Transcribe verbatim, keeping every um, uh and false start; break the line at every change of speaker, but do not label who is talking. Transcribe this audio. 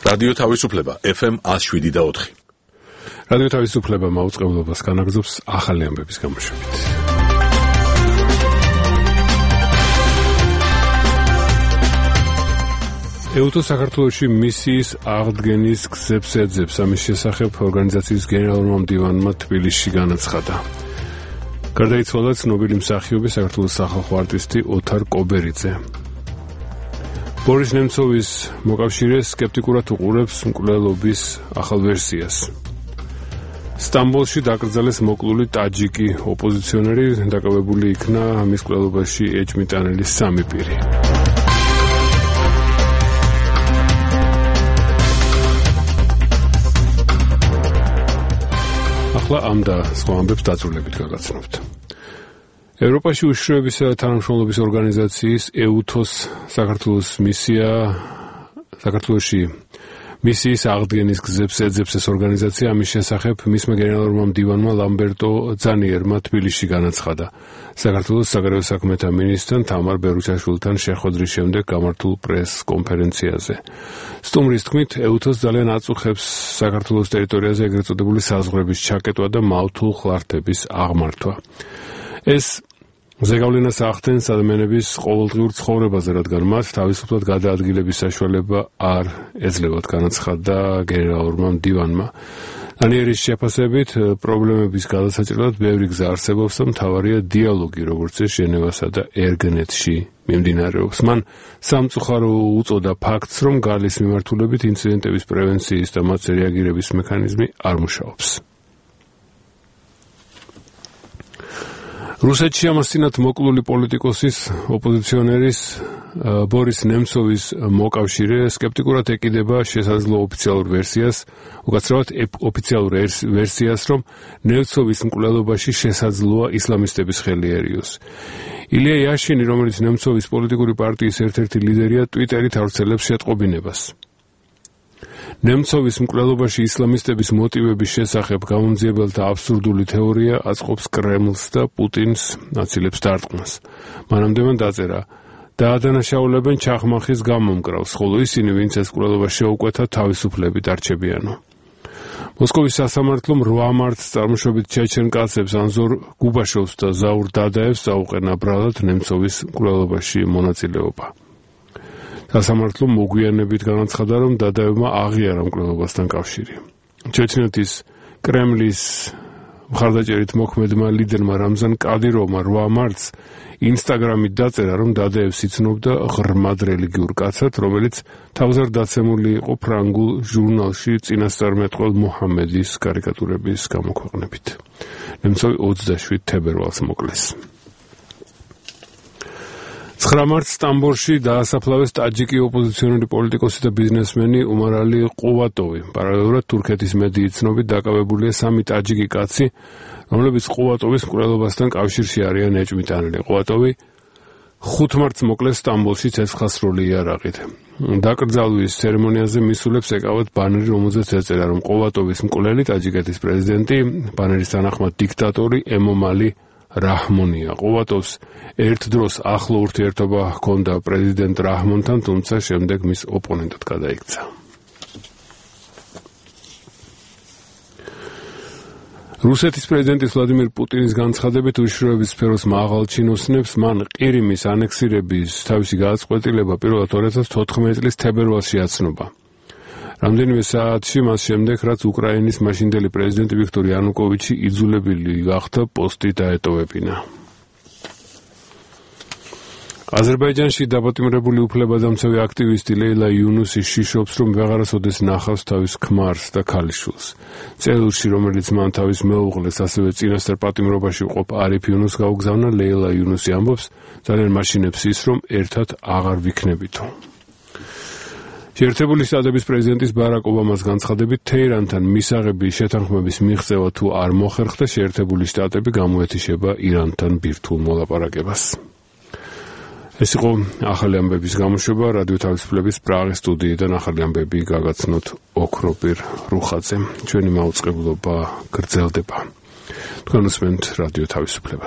რადიო თავისუფლება ეფ ემ one oh seven და four.
რადიო თავისუფლება მაუწყებლობას განაგრძობს ახალი ამბების გამოშვებით. ეუთო საქართველოში მისიის აღდგენის გზებს ეძებს. ამის შესახებ ორგანიზაციის გენერალურმა მდივანმა თბილისში განაცხადა. გარდაიცვალა ცნობილი მსახიობი საქართველოს სახალხო არტისტი ოთარ კობერიძე. ბორის ნემცოვის მოკავშირე სკეპტიკურად უყურებს მკვლელობის ახალ ვერსიას. სტამბოლში დაკრძალეს მოკლული ტაჯიკი ოპოზიციონერი, დაკავებული იქნა მის მკვლელობაში ეჭვმიტანილი სამი პირი. ახლა ამ და სხვა ამბებს დაწვრილებით გაგაცნობთ. ევროპაში უშიშროებისა და თანამშრომლობის ორგანიზაციის ეუთოს საქართველოს მისია საქართველოში მისიის აღდგენის გზებს ეძებს ეს ორგანიზაცია. ამის შესახებ მისმა გენერალურმა მდივანმა ლამბერტო ძანიერმა თბილისში განაცხადა. საქართველოს საგარეო საქმეთა მინისტრთან თამარ ბერუჩაშვილთან შეხვედრის შემდეგ გამართულ პრეს კონფერენციაზე. სტუმრის თქმით, ეუთოს ძალიან აწუხებს საქართველოს ტერიტორიაზე ეგრეთ წოდებული საზღვრების ჩაკეტვა და მავთულ ხლართების აღმართვა. ეს ზეგავლენას ახდენს ადამიანების ყოველდღიურ ცხოვრებაზე, რადგან მათ თავისუფლად გადაადგილების საშუალება არ ეძლევათ, განაცხადა გენერალურმა მდივანმა. დანიერის შეფასებით, პრობლემების გადასაჭრელად ბევრი გზა არსებობს და მთავარია დიალოგი, როგორც ეს ჟენევასა და ერგნეტში მიმდინარეობს. მან სამწუხარო უწოდა ფაქტს, რომ გალის მიმართულებით ინციდენტების პრევენციის და მათზე რეაგირების მექანიზმი არ მუშაობს. რუსეთში ამასთანავ მოკლული პოლიტიკოსის ოპოზიციონერის ბორის ნემცოვის მოკავშირე სკეპტიკურად ეკიდება შესაძლო ოფიციალურ ვერსიას, უკაცრავად ოფიციალურ ვერსიას, რომ ნემცოვის მკვლელობაში შესაძლოა ისლამისტების ხელი ერიოს. ილია იაშინი, რომელიც ნემცოვის პოლიტიკური პარტიის ერთ-ერთი ლიდერია, ტვიტერით ავრცელებს შეტყობინებას. ნემცოვის მკვლელობაში ისლამისტების მოტივების შესახებ გამომძიებელთა აბსურდული თეორია აწყობს კრემლს და პუტინს აცილებს დარტყმას. მანამდე მან დაწერა: დაადანაშაულებენ ჩახმახის გამომკრავს, ხოლო ისინი, ვინც ეს მკვლელობა შეუკვეთა, თავისუფლებით არჩებიანო. მოსკოვის სასამართლომ რვა მარტს წარმოშობით ჩეჩენ კაცებს ანზორ გუბაშოვს და ზაურ დადაევს აუყენა ბრალად ნემცოვის მკვლელობაში მონაწილეობა. სასამართლომ მოგვიანებით განაცხადა, რომ დადაევმა აღიარა მკვლელობასთან კავშირი. ჩეჩნეთის კრემლის მხარდაჭერით მოქმედმა ლიდერმა რამზან კადიროვმა რვა მარტს ინსტაგრამით დაწერა, რომ დადაევს იცნობდა ღრმად რელიგიურ კაცად, რომელიც თავზე დაცემული იყო ფრანგულ ჟურნალში წინასწარმეტყველ მუჰამედის კარიკატურების გამოქვეყნებით. ნემცოვი ოცდაშვიდ თებერვალს მოკლეს. ცხრა მარტს სტამბოლში დაასაფლავეს ტაჯიკი ოპოზიციონერი პოლიტიკოსი და ბიზნესმენი უმარალი ყუვატოვი. პარალელურად თურქეთის მედიის ცნობით დაკავებულია სამი ტაჯიკი კაცი, რომლებიც ყუვატოვის მკვლელობასთან კავშირში არიან ეჭვმიტანილი. ყუვატოვი ხუთ მარტს მოკლეს სტამბოლში ცეცხლსროლი იარაღით. დაკრძალვის ცერემონიაზე მისულებს ეკავათ ბანერი, რომელზეც ეწერა, რომ ყუვატოვის მკვლელი ტაჯიკეთის პრეზიდენტი, ბანერის თანახმად დიქტატორი ემომალი რაჰმონია. ყუვატოვს ერთ დროს ახლო ურთიერთობა ჰქონდა პრეზიდენტ რაჰმონთან, თუმცა შემდეგ მის ოპონენტად გადაიქცა. რუსეთის პრეზიდენტის ვლადიმირ პუტინის განცხადებით, უშიშროების სფეროს მაღალ ჩინოსნებს მან ყირიმის ანექსირების თავისი გადაწყვეტილება პირველად ორი ათას თოთხმეტი წლის თებერვალში აცნობა. რამდენიმე საათში მას შემდეგ, რაც უკრაინის მაშინდელი პრეზიდენტი ვიქტორ იანუკოვიჩი იძულებული გახდა პოსტი დაეტოვებინა. აზერბაიჯანში დაპატიმრებული უფლებადამცავი აქტივისტი ლეილა იუნუსი შიშობს, რომ ვეღარასოდეს ნახავს თავის ქმარს და ქალიშვილს. წერილში, რომელიც მან თავის მეუღლეს, ასევე წინასწარ პატიმრობაში მყოფ არიფ იუნუსს გაუგზავნა, ლეილა იუნუსი ამბობს, ძალიან მაშინებს ის, რომ ერთად აღარ ვიქნებითო. შეერთებული შტატების პრეზიდენტის ბარაკ ობამას განცხადებით, თეირანთან მისაღები შეთანხმების მიღწევა თუ არ მოხერხდა, შეერთებული შტატები გამოეთიშება ირანთან ბირთვულ მოლაპარაკებას. ეს იყო ახალი ამბების გამოშვება რადიო თავისუფლების პრაღის სტუდიიდან. ახალი ამბები გაგაცნოთ ოქროპირ რუხაძემ. ჩვენი მაუწყებლობა გრძელდება. თქვენ უსმენთ რადიო თავისუფლებას.